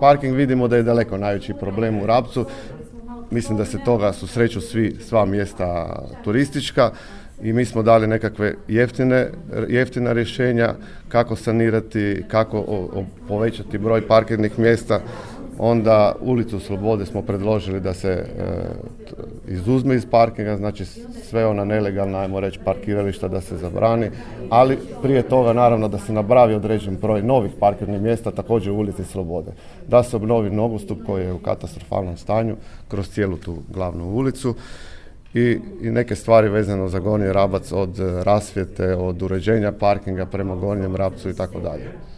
parking vidimo da je daleko najveći problem u Rapcu. Mislim da se toga susreću sva mjesta turistička i mi smo dali nekakve jeftina rješenja kako sanirati, kako povećati broj parkirnih mjesta. Onda ulicu Slobode smo predložili da se izuzme iz parkinga, znači sve ona nelegalna, ajmo reći, parkirališta da se zabrani, ali prije toga naravno da se napravi određen broj novih parkirnih mjesta također u ulici Slobode. Da se obnovi nogostup koji je u katastrofalnom stanju kroz cijelu tu glavnu ulicu i neke stvari vezano za Gornji Rabac, od rasvjete, od uređenja parkinga prema Gornjem Rabcu i tako dalje.